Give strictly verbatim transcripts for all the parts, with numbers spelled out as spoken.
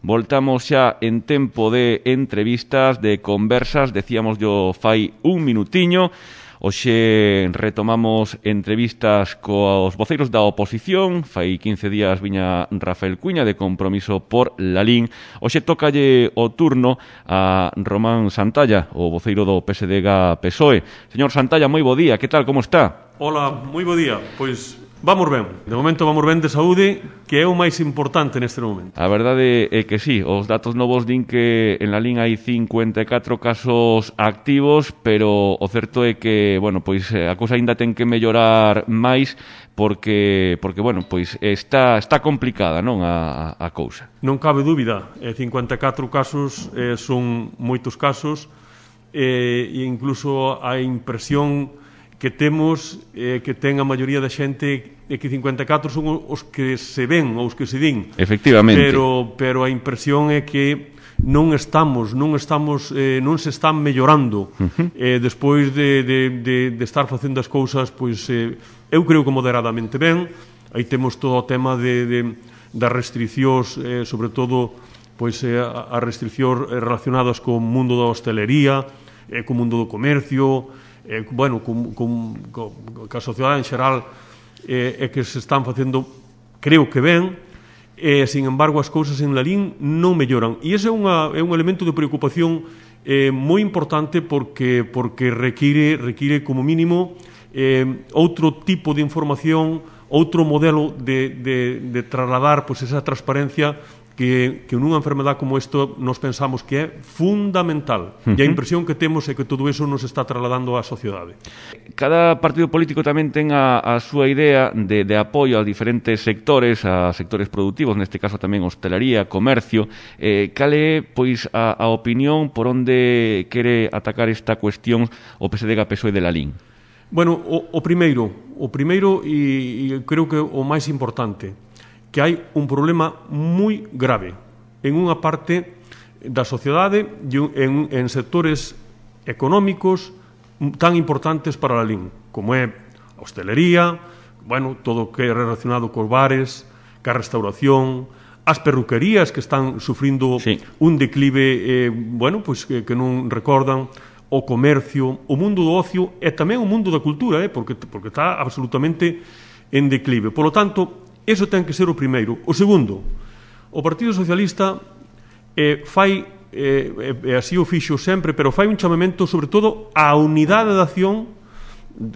Voltamos xa en tempo de entrevistas, de conversas, decíamos yo fai un minutiño. Hoxe retomamos entrevistas cos voceiros da oposición. Fai quince días viña Rafael Cuña de Compromiso por Lalín. Hoxe tócalle o turno a Román Santalla, o voceiro do P S D G P S O E. Señor Santalla, moi bo día, que tal, como está? Hola, moi bo día. Pois vamos ben. De momento vamos ben de saúde, que é o máis importante neste momento. A verdade é que sí, os datos novos din que en Lalín hai cincuenta e catro casos activos, pero o certo é que, bueno, pois a cousa aínda ten que mellorar máis porque porque bueno, pois está está complicada, non, a a cousa. Non cabe dúbida, eh, cincuenta e catro casos eh, son moitos casos eh, e incluso a impresión que temos eh, que ten a maioría da xente é que cincuenta e catro son os que se ven ou os que se din. Efectivamente. Pero, pero a impresión é que non estamos, non estamos, eh, non se están mellorando uh-huh. eh, despois de, de, de, de estar facendo as cousas, pois eh, eu creo que moderadamente ben. Aí temos todo o tema de, de, das restriccións, eh, sobre todo pois eh, as restriccións relacionadas co mundo da hostelería, eh, co mundo do comercio, Eh, bueno, con, con, con, con a sociedade en xeral eh, é que se están facendo, creo que ben, eh, sin embargo as cousas en Lalín non melloran, e ese é, unha, é un elemento de preocupación eh, moi importante porque porque require, require como mínimo eh, outro tipo de información, outro modelo de, de, de trasladar pois, esa transparencia que, que nunha enfermedade como isto nos pensamos que é fundamental. Uh-huh. E a impresión que temos é que todo eso nos está trasladando á sociedade. Cada partido político tamén ten a, a súa idea de, de apoio a diferentes sectores, a sectores productivos, neste caso tamén hostelería, comercio. Eh, cal é, pois, a, a opinión por onde quere atacar esta cuestión o P S D G P S O E de Lalín? Bueno, o, o primeiro, o primeiro e, e creo que o máis importante, que hai un problema moi grave en unha parte da sociedade e en, en sectores económicos tan importantes para Lalín, como é a hostelería, bueno, todo o que é relacionado cos bares, ca restauración, as perruquerías que están sufrindo sí. un declive, eh, bueno, pois que, que non recordan, o comercio, o mundo do ocio e tamén o mundo da cultura, eh, porque, porque está absolutamente en declive. Por lo tanto, eso ten que ser o primeiro. O segundo, o Partido Socialista eh, fai, eh, e así o fixo sempre, pero fai un chamamento sobre todo á unidade de acción,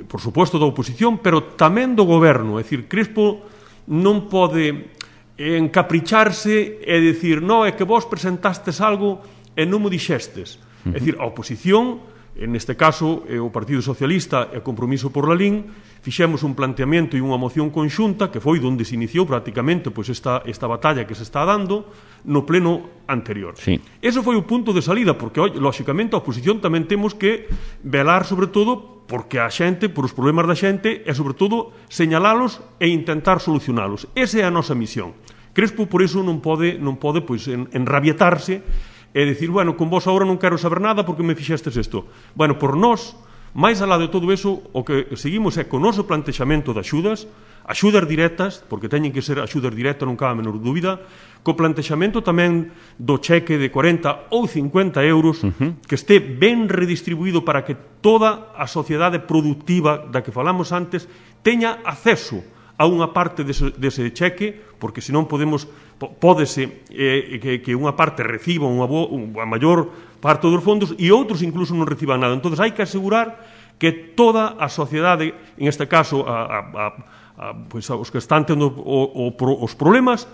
por suposto da oposición, pero tamén do goberno. É dicir, Crespo non pode encapricharse e dicir, no, é que vos presentastes algo e non mo dixestes. Uh-huh. É dicir, a oposición, neste caso, o Partido Socialista e Compromiso por Lalín, fixemos un planteamento e unha moción conxunta que foi onde se iniciou prácticamente pois, esta, esta batalla que se está dando no pleno anterior. Sí. Ese foi o punto de salida, porque, lóxicamente, a oposición tamén temos que velar, sobre todo, porque a xente, por os problemas da xente, e, sobre todo, señalalos e intentar solucionalos. Esa é a nosa misión. Crespo, por iso, non pode, non pode pois, en, enrabietarse e dicir, bueno, con vos agora non quero saber nada porque me fixestes isto. Bueno, por nós, máis alá de todo eso, o que seguimos é con o noso plantexamento de axudas, axudas directas, porque teñen que ser axudas directas, non cabe a menor dúbida, co plantexamento tamén do cheque de corenta ou cincuenta euros, uh-huh. que este ben redistribuído para que toda a sociedade productiva da que falamos antes teña acceso a unha parte dese, dese cheque, porque senón podemos, pódese eh, que, que unha parte reciba unha, bo, unha maior parte dos fondos e outros incluso non reciban nada. Entón, hai que asegurar que toda a sociedade, en este caso, a, a, a, a, pues, a os que están tendo o, o, os problemas,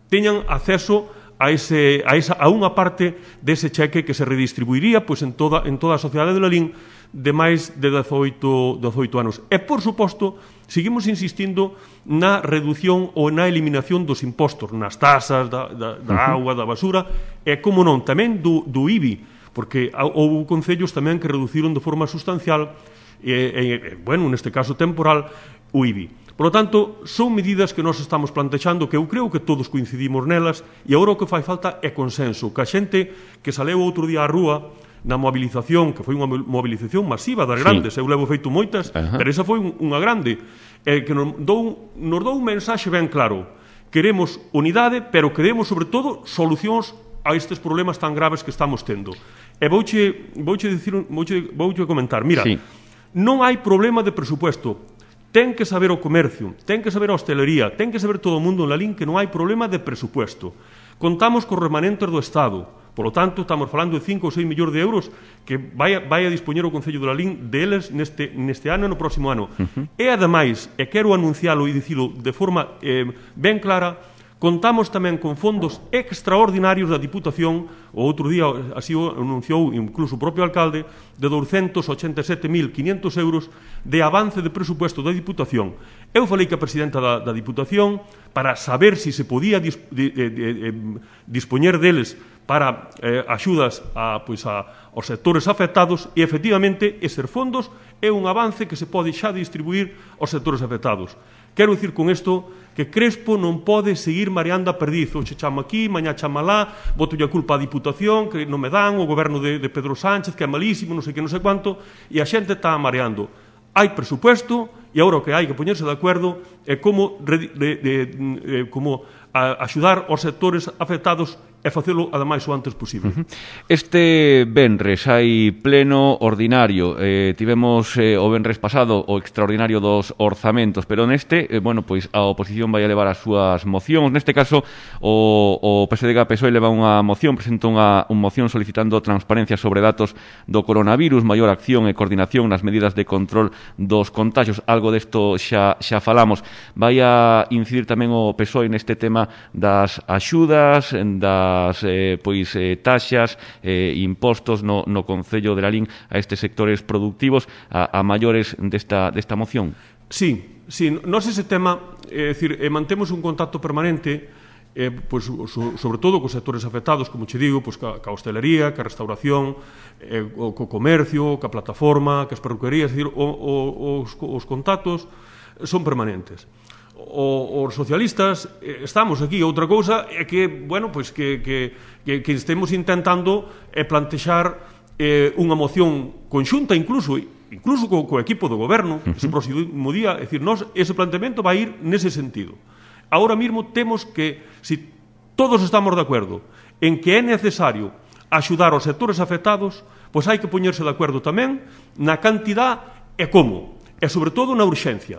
teñan acceso a, ese, a, esa, a unha parte dese cheque que se redistribuiría pues, en, toda, en toda a sociedade de Lalín de máis de dezoito anos. E, por suposto, seguimos insistindo na reducción ou na eliminación dos impostos, nas tasas, da, da, da auga, da basura, e, como non, tamén do, do I B I, porque houve concellos tamén que reduciron de forma sustancial, e, e, bueno, neste caso temporal, o I B I. Por lo tanto, son medidas que nós estamos plantexando que eu creo que todos coincidimos nelas e agora o que fai falta é consenso, que a xente que saleu outro día á rúa na mobilización, que foi unha mobilización masiva das grandes, sí. Eu levo feito moitas, uh-huh. pero esa foi unha grande, eh, que nos dou, nos dou un mensaxe ben claro, queremos unidade, pero queremos, sobre todo, solucións a estes problemas tan graves que estamos tendo. E vouche, vouche, dicir, vouche, vouche comentar, mira, sí. Non hai problema de presupuesto. Ten que saber o comercio, ten que saber a hostelería, ten que saber todo o mundo en Lalín que non hai problema de presupuesto. Contamos cos remanentes do Estado. Por lo tanto, estamos falando de cinco ou seis millóns de euros que vai a, vai a dispoñer o Concello de Lalín deles neste, neste ano e no próximo ano. Uh-huh. E, ademais, e quero anuncialo e dicilo de forma eh, ben clara, contamos tamén con fondos extraordinarios da Diputación, o outro día así o anunciou incluso o propio alcalde, de douscentos ochenta e sete mil quinhentos euros de avance de presupuesto da Diputación. Eu falei que a presidenta da, da Diputación para saber se si se podía dis, de, de, de, de, dispoñer deles para eh, axudas a, pois a, aos sectores afectados e, efectivamente, eses fondos é un avance que se pode xa distribuir aos sectores afectados. Quero dicir con isto que Crespo non pode seguir mareando a perdiz. Hoxe chamo aquí, mañá chama lá, botolle a culpa á Diputación, que non me dan, o goberno de, de Pedro Sánchez, que é malísimo, non sei que, non sei quanto, e a xente está mareando. Hai presupuesto, e agora o que hai que poñerse de acordo é como, de, de, de, de, como a, axudar aos sectores afectados e facelo, ademais, o antes posible. Uh-huh. Este venres hai pleno ordinario. Eh, tivemos eh, o venres pasado o extraordinario dos orzamentos, pero neste, eh, bueno, pois a oposición vai a levar as súas mocións. Neste caso, o, o P S D G P S O E leva unha moción, presenta unha, unha moción solicitando transparencia sobre datos do coronavirus, maior acción e coordinación nas medidas de control dos contagios. Algo desto xa, xa falamos. Vai a incidir tamén o P S O E neste tema das axudas, das Eh, pois eh, taxas, eh, impostos no, no Concello de Lalín a estes sectores productivos, a, a maiores desta, desta moción? Sí, sí, nós ese tema, é dicir, eh, mantemos un contacto permanente, eh, pois, so, sobre todo cos sectores afectados, como che digo, pois, ca, ca hostelería, ca restauración, eh, o, co comercio, ca plataforma, ca as perruquerías, é dicir, o, o, os, os contactos son permanentes. O, os socialistas eh, estamos aquí. Outra cousa é que, bueno, pois que, que, que, que estemos intentando eh, plantexar eh, unha moción conxunta, incluso incluso co, co equipo do goberno, uh-huh. ese próximo día, é dicir, nós, ese planteamento vai ir nese sentido. Ahora mesmo temos que, se si todos estamos de acordo en que é necesario axudar aos sectores afectados, pois hai que poñerse de acordo tamén na cantidad e como, e sobre todo na urxencia.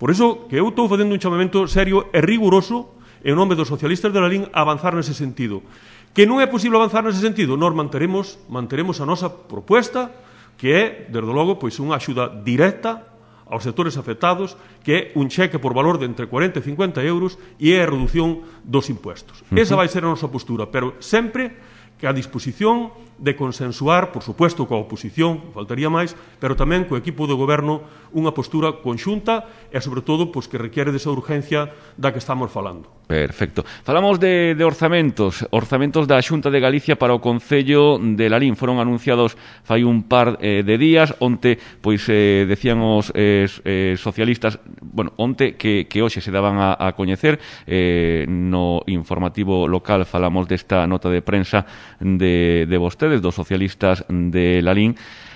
Por iso que eu estou facendo un chamamento serio e riguroso en nome dos socialistas de Lalín a avanzar nese sentido. Que non é posible avanzar nese sentido, nós manteremos, manteremos a nosa proposta, que é, desde logo, pois unha axuda directa aos sectores afectados, que é un cheque por valor de entre cuarenta e cincuenta euros e é a reducción dos impuestos. Uh-huh. Esa vai ser a nosa postura, pero sempre que a disposición de consensuar, por supuesto, coa oposición, faltaría máis, pero tamén co equipo de goberno unha postura conxunta e, sobre todo, pois, que requiere desa urgencia da que estamos falando. Perfecto. Falamos de, de orzamentos, orzamentos da Xunta de Galicia para o Concello de Lalín. Foron anunciados fai un par eh, de días. Onte, pois, eh, decían os eh, eh, socialistas, bueno, onte que, que hoxe se daban a, a coñecer, eh, no informativo local falamos desta nota de prensa de, de vostedes, dos socialistas de Lalín,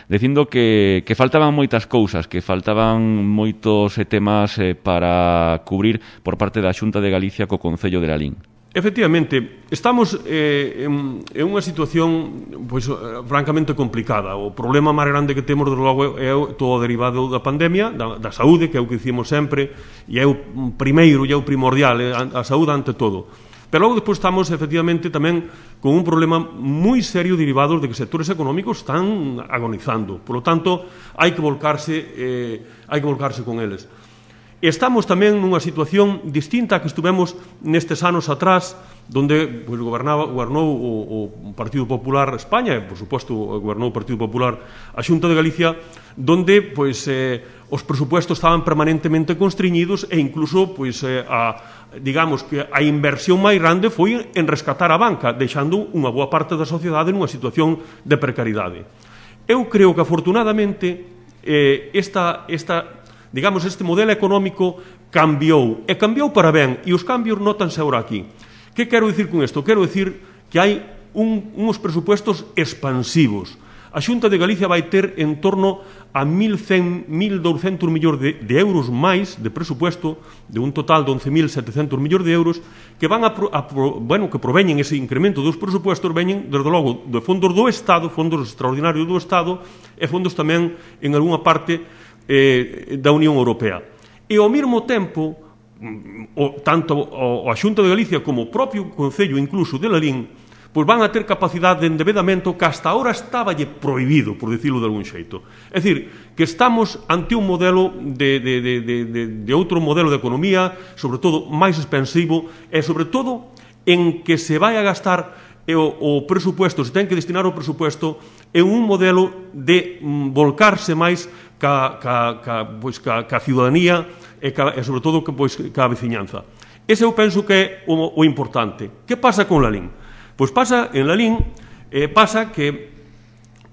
dicindo que, que faltaban moitas cousas, que faltaban moitos eh, temas eh, para cubrir por parte da Xunta de Galicia co Concello de Lalín. Efectivamente, estamos eh, en, en unha situación pois, francamente complicada. O problema máis grande que temos, desde logo, é todo derivado da pandemia, da, da saúde, que é o que dicimos sempre, e é o primeiro e é o primordial, é a, a saúde ante todo. Pero logo despois estamos, efectivamente, tamén con un problema moi serio derivado de que sectores económicos están agonizando. Por lo tanto, hai que volcarse, eh, hai que volcarse con eles. Estamos tamén nunha situación distinta a que estuvemos nestes anos atrás, donde pues, gobernaba, gobernou o, o Partido Popular España, e, por suposto, gobernou o Partido Popular a Xunta de Galicia, donde pues, eh, os presupuestos estaban permanentemente constriñidos e incluso pues, eh, a digamos que a inversión máis grande foi en rescatar a banca, deixando unha boa parte da sociedade nunha situación de precariedade. Eu creo que, afortunadamente, eh, esta, esta, digamos, este modelo económico cambiou, e cambiou para ben, e os cambios notanse agora aquí. Que quero dicir con isto? Quero dicir que hai un, uns presupuestos expansivos. a Xunta de Galicia vai ter en torno a mil cen, mil douscentos millóns de, de euros máis de presupuesto, de un total de once mil setecentos millóns de euros, que van a, a bueno, que proveñen ese incremento dos presupuestos, veñen, desde logo, de fondos do Estado, fondos extraordinarios do Estado, e fondos tamén, en algunha parte, eh, da Unión Europea. E, ao mesmo tempo, o, tanto a Xunta de Galicia como o propio Concello, incluso de Lalín, pois van a ter capacidade de endebedamento que hasta ahora estáballe prohibido, por decirlo de algún xeito. É dicir, que estamos ante un modelo de, de, de, de, de, de outro modelo de economía, sobre todo máis expansivo, e sobre todo en que se vai a gastar o, o presupuesto, se ten que destinar o presupuesto en un modelo de mm, volcarse máis ca, ca, ca, pois, ca, ca ciudadanía e, ca, e sobre todo que, pois, ca veciñanza. Ese eu penso que é o, o importante. Que pasa con Lalín? Pois pasa, en Lalín, eh, pasa que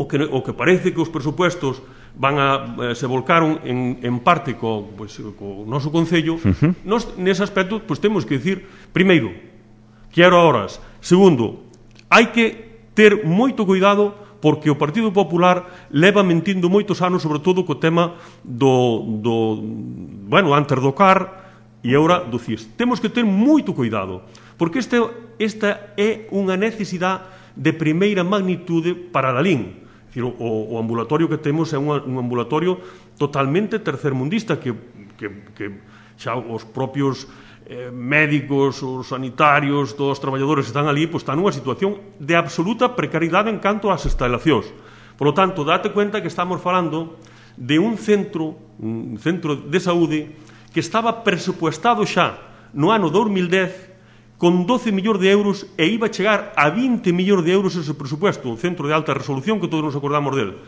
o, que o que parece que os presupuestos van a, eh, se volcaron en, en parte co, pois, co noso Concello, uh-huh. Nos, nese aspecto, pois temos que dicir, primeiro, quero horas, segundo, hai que ter moito cuidado porque o Partido Popular leva mentindo moitos anos, sobre todo co tema do, do bueno, antes do C A R e agora do C I S. Temos que ter moito cuidado, porque este, esta é unha necesidade de primeira magnitude para Lalín. É dicir, o, o ambulatorio que temos é un, un ambulatorio totalmente tercermundista, que, que, que xa os propios eh, médicos, os sanitarios, todos os traballadores que están ali, pues, están nunha situación de absoluta precariedade en canto ás instalacións. Por lo tanto, date cuenta que estamos falando de un centro, un centro de saúde que estaba presupuestado xa no ano dos mil dez con doce millóns de euros e iba a chegar a vinte millóns de euros ese presupuesto, un centro de alta resolución que todos nos acordamos del.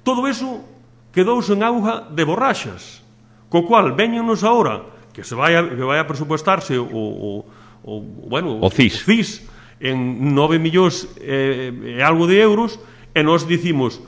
Todo eso quedouse en auga de borraxas, co cual veñanos agora que se vai a, que vai a presupuestarse o, o, o, bueno, o C I S, o C I S en nove millóns e, e algo de euros, e nós dicimos,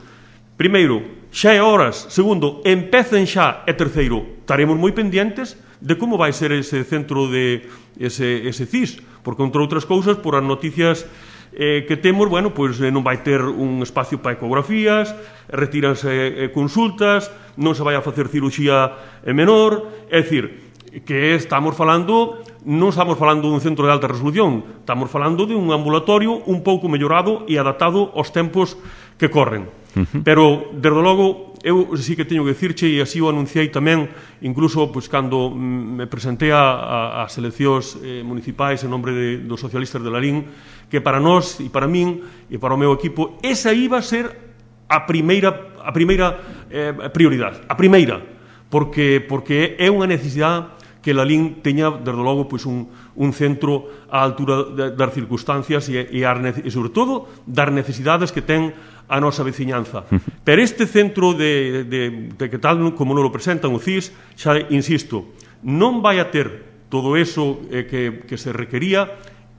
primeiro, xa é horas, segundo, empecen xa, e terceiro, estaremos moi pendientes de como vai ser ese centro de ese, ese C I S, porque, entre outras cousas, por as noticias eh, que temos, bueno, pois eh, non vai ter un espacio para ecografías, retíranse eh, consultas, non se vai a facer cirurxía eh, menor, é dicir, que estamos falando, non estamos falando dun centro de alta resolución, estamos falando de un ambulatorio un pouco mellorado e adaptado aos tempos que corren. Uh-huh. Pero, desde logo, eu sí que teño que dicirche, e así o anunciei tamén, incluso pois, cando me presentei a, a, as eleccións eh, municipais en nombre de, dos socialistas de Lalín, que para nós e para min e para o meu equipo, esa iba a ser a primeira, a primeira eh, prioridade, a primeira, porque, porque é unha necesidade que Lalín teña, desde logo, pois, un, un centro á altura de, das circunstancias e, e, ar, e, sobre todo, das necesidades que ten a nosa veciñanza. Pero este centro de, de, de que tal como non lo presentan o C I S, xa insisto, non vai a ter todo eso eh, que, que se requería,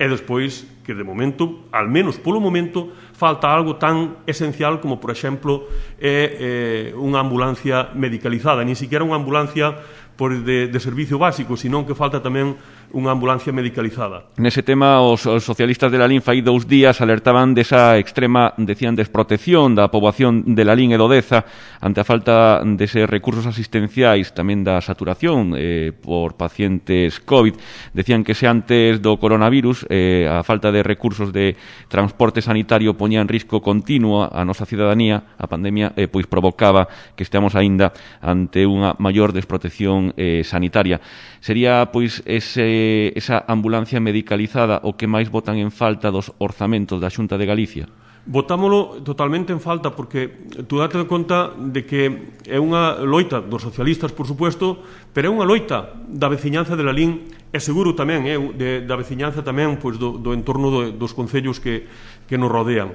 e despois que, de momento, al menos polo momento, falta algo tan esencial como, por exemplo, eh, eh, unha ambulancia medicalizada, ni siquiera unha ambulancia por de, de servicio básico, sino que falta tamén unha ambulancia medicalizada. Nese tema, os, os socialistas de Lalín fai dous días alertaban desa extrema, decían, desprotección da poboación de Lalín e do Deza ante a falta deses recursos asistenciais, tamén da saturación eh, por pacientes COVID. Decían que se antes do coronavirus eh, a falta de recursos de transporte sanitario poñía en risco continuo a nosa cidadanía, a pandemia eh, pois provocaba que estemos aínda ante unha maior desprotección eh, sanitaria. Sería, pois, ese, esa ambulancia medicalizada o que máis botan en falta dos orzamentos da Xunta de Galicia? Botámolo totalmente en falta, porque tú date conta de que é unha loita dos socialistas, por supuesto, pero é unha loita da veciñanza de Lalín, e seguro tamén é de, da veciñanza tamén, pois, do, do entorno do, dos concellos que, que nos rodean.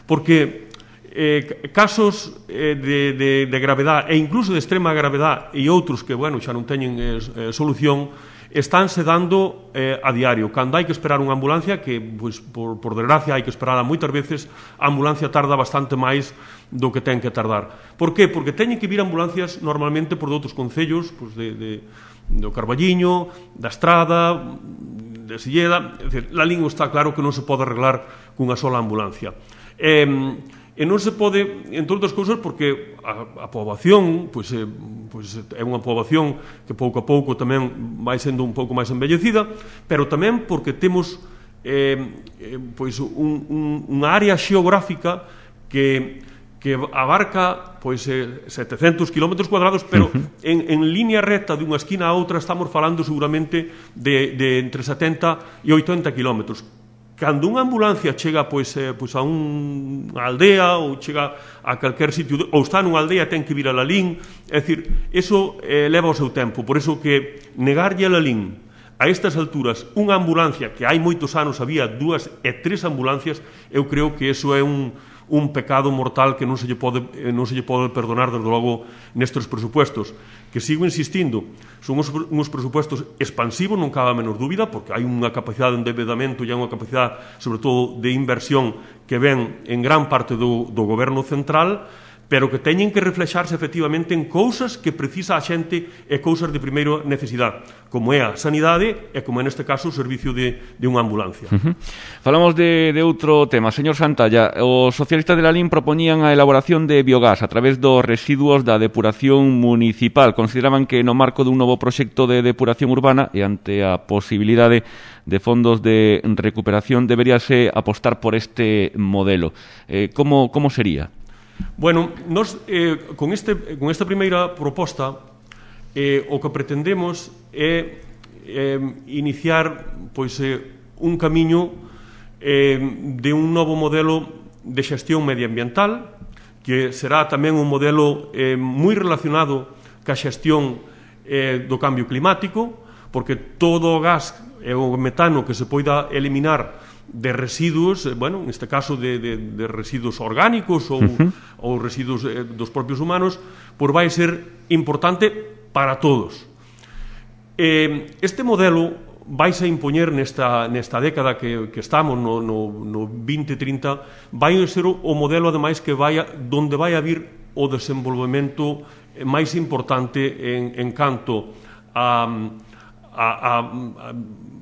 Porque Eh, casos eh, de, de, de gravedade e incluso de extrema gravedade e outros que, bueno, xa non teñen eh, eh, solución, estánse dando eh, a diario. Cando hai que esperar unha ambulancia, que, pues, por, por desgracia, hai que esperar moitas veces, a ambulancia tarda bastante máis do que ten que tardar. Por qué? Porque teñen que vir ambulancias normalmente por outros concellos, pues, de, de, do Carballiño, da Estrada, de Silleda. É dicir, Lalín está claro que non se pode arreglar cunha sola ambulancia. Eh, E non se pode, entre outras cousas, porque a, a poboación pois, é, pois, é unha poboación que pouco a pouco tamén vai sendo un pouco máis envellecida, pero tamén porque temos eh, eh, pois un, un, unha área xeográfica que, que abarca pois, eh, setecentos kilómetros cuadrados, pero uh-huh. en, en línea recta de unha esquina a outra estamos falando seguramente de, de entre setenta e oitenta kilómetros. Cando unha ambulancia chega pois, eh, pois a un, unha aldea ou chega a calquer sitio, ou está nunha aldea ten que vir a Lalín, é dicir, eso eh, leva o seu tempo, por eso que negarlle a Lalín a estas alturas unha ambulancia, que hai moitos anos había dúas e tres ambulancias, eu creo que eso é un, un pecado mortal que non se lle pode, non se lle pode perdonar, desde logo, nestes presupuestos, que sigo insistindo, son uns, uns presupuestos expansivos, non cabe a menor dúbida, porque hai unha capacidade de endeudamento e hai unha capacidade, sobre todo, de inversión que ven en gran parte do, do goberno central, pero que teñen que reflexarse efectivamente en cousas que precisa a xente e cousas de primeira necesidade, como é a sanidade e como é neste caso o servicio de, de unha ambulancia. Uh-huh. Falamos de, de outro tema. Señor Santalla, os socialistas de Lalín propoñían a elaboración de biogás a través dos residuos da depuración municipal. Consideraban que no marco dun novo proxecto de depuración urbana e ante a posibilidade de fondos de recuperación deberíase apostar por este modelo. Eh, como, como sería? Bueno, nos, eh, con, este, con esta primeira proposta eh, o que pretendemos é eh, iniciar pois, eh, un camiño eh, de un novo modelo de xestión medioambiental que será tamén un modelo eh, moi relacionado ca xestión eh, do cambio climático, porque todo o gas e o metano que se poida eliminar de residuos, bueno, neste caso de, de, de residuos orgánicos ou, uh-huh. ou residuos eh, dos propios humanos, pois vai ser importante para todos. Eh, este modelo vai a impoñer nesta, nesta década que, que estamos, no, no, no vinte trinta, vai ser o, o modelo, ademais, que vai a, donde vai a vir o desenvolvemento máis importante en, en canto a... A, a,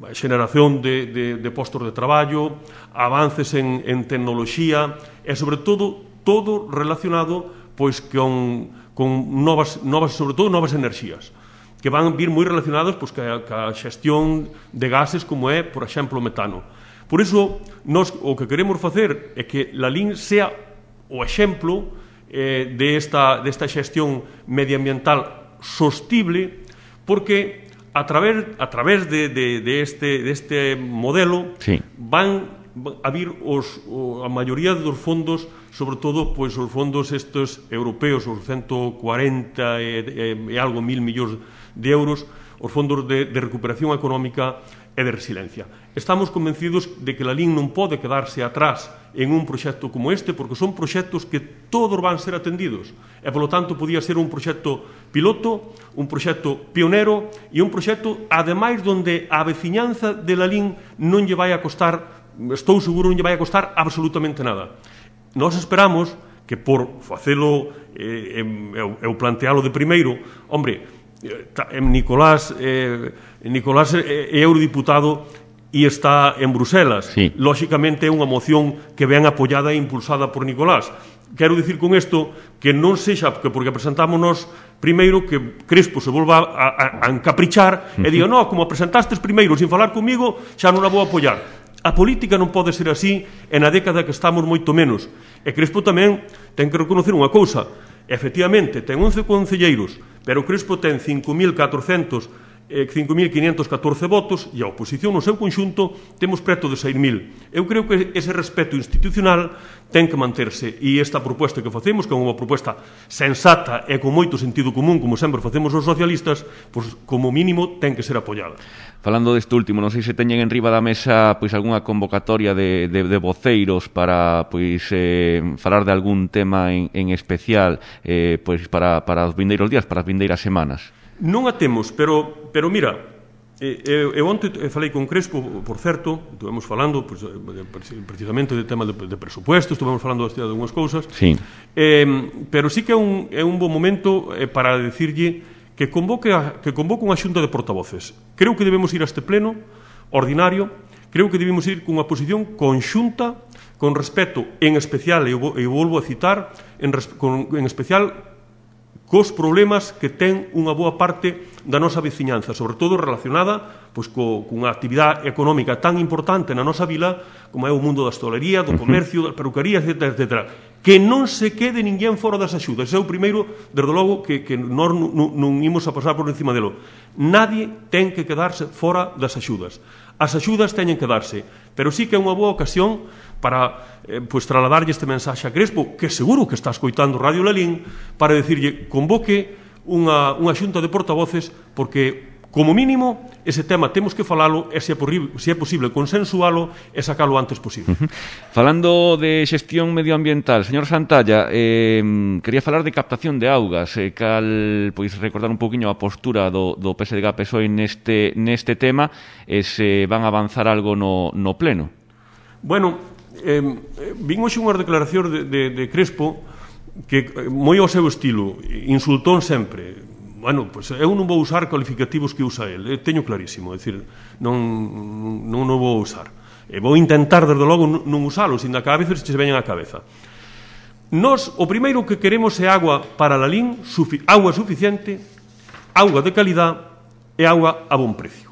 a xeneración de, de, de postos de traballo, avances en, en tecnoloxía e, sobre todo, todo relacionado pois con, con novas, novas, sobre todo, novas enerxías que van vir moi relacionados pois, ca, ca xestión de gases como é, por exemplo, o metano. Por iso, nos, o que queremos facer é que Lalín sea o exemplo eh, de esta, desta xestión medioambiental sostible, porque a través, a través de, de, de, este, de este modelo sí. van a vir os, o, a maioría dos fondos, sobre todo pois, os fondos estes europeos, os ciento cuarenta e, e, e algo mil millóns de euros, os fondos de, de recuperación económica e de resiliencia. Estamos convencidos de que Lalín non pode quedarse atrás en un proxecto como este, porque son proxectos que todos van ser atendidos e, polo tanto, podía ser un proxecto piloto, un proxecto pionero e un proxecto, ademais, donde a veciñanza de Lalín non lle vai a costar, estou seguro, non lle vai a costar absolutamente nada. Nós esperamos que por facelo eh, eu, eu plantealo de primeiro, hombre, Nicolás eh, Nicolás é eurodiputado e está en Bruselas. Sí. Lóxicamente é unha moción que ven apoiada e impulsada por Nicolás. Quero dicir con isto que non sexa que porque presentámonos primeiro que Crespo se volva a, a, a encaprichar uh-huh. e diga, no, como presentastes primeiro sin falar comigo, xa non a vou apoiar. A política non pode ser así e na década que estamos moito menos. E Crespo tamén ten que reconocer unha cousa. Efectivamente, ten once concelleiros, pero Crespo ten cinco mil catrocentos cinco mil quinientos catorce votos e a oposición no seu conxunto temos preto de seis mil. Eu creo que ese respeto institucional ten que manterse e esta proposta que facemos, que é unha proposta sensata e con moito sentido común, como sempre facemos os socialistas, pois como mínimo ten que ser apoiada. Falando deste último, non sei se teñen en riba da mesa pois algunha convocatoria de, de, de voceiros para pois eh, falar de algún tema en, en especial eh, pois para, para os vindeiros días, para as vindeiras semanas. Non a temos, pero, pero mira, eu, eu onte falei con Crespo, por certo, estivemos falando pues, precisamente do tema de, de presupuestos, estivemos falando de algunhas cousas, sí. eh, pero sí que é un, é un bon momento eh, para decirlle que convoque, a, que convoque unha xunta de portavoces. Creo que debemos ir a este pleno ordinario, creo que debemos ir cunha posición conxunta con respecto, en especial, e eu volvo a citar, en, con, en especial cos problemas que ten unha boa parte da nosa veciñanza, sobre todo relacionada pois, co, cunha actividade económica tan importante na nosa vila como é o mundo da hostalería, do comercio, da peruquería, etcétera, etcétera. Que non se quede ninguén fora das axudas. Ese é o primeiro, desde logo, que, que nós non, non imos a pasar por encima delo. Nadie ten que quedarse fora das axudas. As axudas teñen que darse, pero sí que é unha boa ocasión para eh, pues, trasladarlle este mensaxe a Crespo, que seguro que está escoitando Radio Lalín, para decirlle, convoque unha, unha xunta de portavoces, porque, como mínimo, ese tema temos que falalo e, se é, porrible, se é posible, consensualo e sacalo o antes posible. Uh-huh. Falando de xestión medioambiental, señor Santalla, eh, quería falar de captación de augas, eh, cal, pois, recordar un poquinho a postura do, do P S D G P S O E neste, neste tema, e se van a avanzar algo no, no pleno. Bueno, eh, vin hoxe unhas declaracións de, de, de Crespo que, moi ao seu estilo, insultón sempre. Bueno, pois eu non vou usar cualificativos que usa el, eh, teño clarísimo, é dicir, non, non, non vou usar. E vou intentar, desde logo, non usalos, ainda que a veces se veñen á cabeza. Nos, o primeiro que queremos é agua para Lalín, sufi agua suficiente, auga de calidad e agua a bon precio.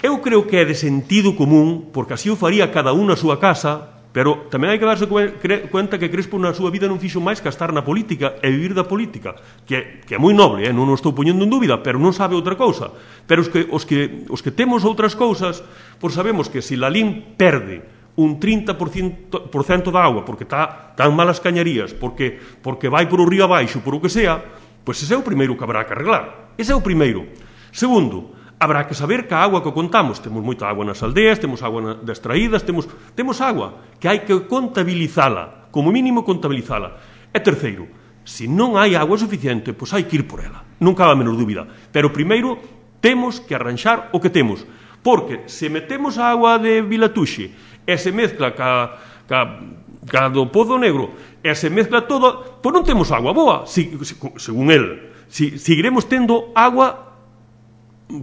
Eu creo que é de sentido común, porque así o faría cada un na súa casa, pero tamén hai que darse cuenta que Crespo na súa vida non fixo máis que estar na política e vivir da política, que é, que é moi noble, eh? non o estou poñendo en dúbida, pero non sabe outra cousa. Pero os que, os que, os que temos outras cousas, pois sabemos que se Lalín perde un trinta por cento da agua porque está tan malas cañarías, porque, porque vai por o río abaixo, por o que sea, pois ese é o primeiro que habrá que arreglar. Ese é o primeiro. Segundo, habrá que saber que a agua que contamos, temos moita agua nas aldeas, temos agua das traídas, temos, temos agua, que hai que contabilizala, como mínimo contabilizala. E terceiro, se non hai agua suficiente, pois hai que ir por ela, non cabe a menor dúbida. Pero primeiro temos que arranxar o que temos, porque se metemos a agua de Vilatuxe e se mezcla ca, ca, ca do Pozo Negro e se mezcla todo, pois non temos agua boa, si, si, según el. Si, seguiremos tendo agua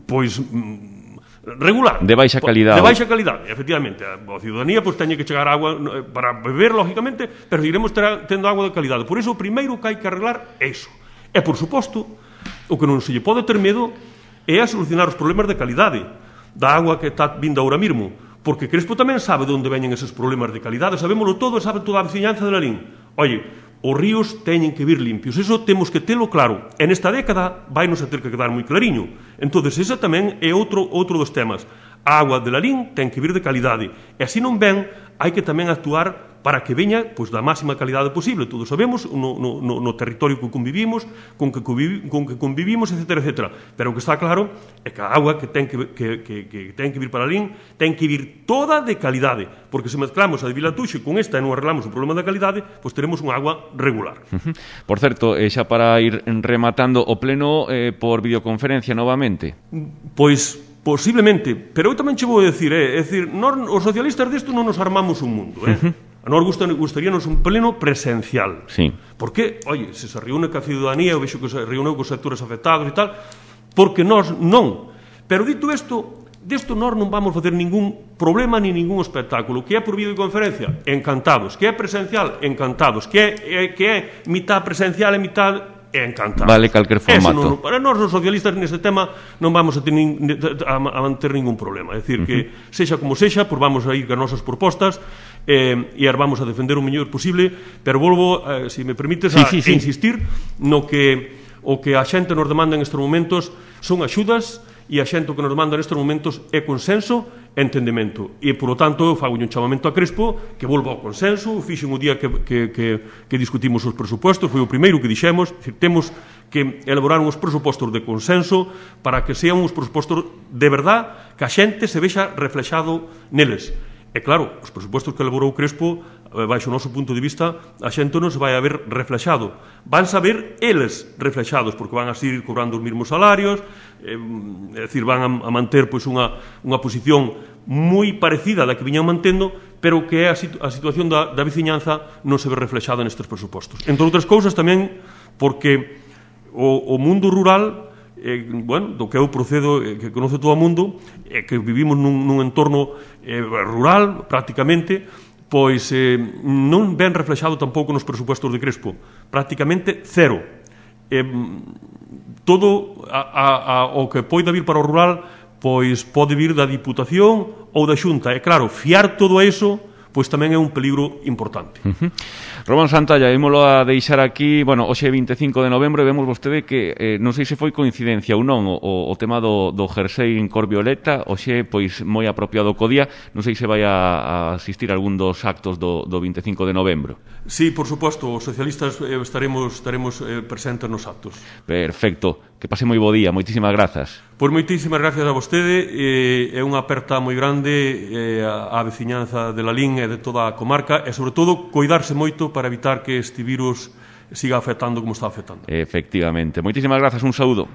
pois regular, de baixa calidade. De baixa calidade, efectivamente. A ciudadanía pois teñe que chegar agua para beber, lógicamente, pero seguiremos tendo agua de calidade. Por iso o primeiro que hai que arreglar é iso. E, por suposto, o que non se lle pode ter medo é a solucionar os problemas de calidade da agua que está vindo ahora mismo, porque Crespo tamén sabe de onde veñen eses problemas de calidade, sabémolo todo e sabe toda a veciñanza de Lalín. Oye, os ríos teñen que vir limpios, eso temos que telo claro, e nesta década vai nos a ter que quedar moi clariño. Entonces, ese tamén é outro, outro dos temas. A agua de Lalín ten que vir de calidade, e así non ven, hai que tamén actuar para que veña pois, da máxima calidade posible. Todos sabemos no, no, no territorio que convivimos, con que, convivi, con que convivimos, etcétera, etcétera. Pero o que está claro é que a agua que ten que, que, que, que ten que vir para Lalín ten que vir toda de calidade, porque se mezclamos a de Vilatuxe con esta e non arreglamos o problema da calidade, pois teremos unha agua regular. Uh-huh. Por certo, eh, xa para ir rematando o pleno eh, por videoconferencia novamente. Pois posiblemente, pero eu tamén che vou decir, eh, é dicir, nós, os socialistas desto non nos armamos un mundo, eh? Uh-huh. A nós gustaríanos un pleno presencial. Sí. Porque, oye, se se reúne ca ciudadanía, eu vexo que se reúne cos sectores afectados e tal, porque nós non. Pero dito isto, desto nós non vamos facer ningún problema ni ningún espectáculo. Que é por videoconferencia? Encantados. Que é presencial? Encantados. Que é, que é mitad presencial e mitad encantados. Vale calquer formato. Non, para nós, os socialistas, neste tema non vamos a, ter nin, a, a manter ningún problema. É dicir, uh-huh. que sexa como sexa, pois vamos a ir con nosas propostas eh, e as vamos a defender o mellor posible, pero volvo, eh, se me permites, a, sí, sí, sí. a insistir no que o que a xente nos demanda en estes momentos son axudas, e a xente o que nos demanda nestes momentos é consenso e entendemento. E, por lo tanto, eu fago un chamamento a Crespo que volva ao consenso. Fixen o día que, que, que, que discutimos os presupostos, foi o primeiro que dixemos, temos que elaborar uns presupostos de consenso para que sean uns presupostos de verdad, que a xente se vexa reflexado neles. E claro, os presupostos que elaborou Crespo, baixo o noso punto de vista, a xente non se vai a ver reflexado. Van a ver eles reflexados, porque van a seguir cobrando os mesmos salarios, é dicir, van a manter pois, unha, unha posición moi parecida da que viñan mantendo, pero que a, situ a situación da, da veciñanza non se ve reflexada nestes presupostos. Entre outras cousas tamén porque o, o mundo rural, eh, bueno, do que eu procedo, eh, que conoce todo o mundo, eh, que vivimos nun, nun entorno eh, rural, prácticamente, pois eh, non ben reflexado tampouco nos presupuestos de Crespo, prácticamente cero. Eh, todo a, a, a, o que poida vir para o rural pois pode vir da Diputación ou da Xunta, e claro, fiar todo iso pois tamén é un peligro importante. Uh-huh. Román Santalla, ímolo a deixar aquí, bueno, hoxe vinte e cinco de novembro, e vemos vostede que, eh, non sei se foi coincidencia ou non, o, o tema do, do jersei en cor violeta, hoxe, pois, moi apropiado co día, non sei se vai a, a asistir a algún dos actos do, do vinte e cinco de novembro. Sí, por suposto, os socialistas eh, estaremos, estaremos eh, presentes nos actos. Perfecto, que pase moi bo día, moitísimas grazas. Pois moitísimas gracias a vostede, eh, é unha aperta moi grande eh, á veciñanza de Lalín e de toda a comarca, e sobre todo, coidarse moito para evitar que este virus siga afectando como está afectando. Efectivamente. Moitísimas grazas, un saúdo.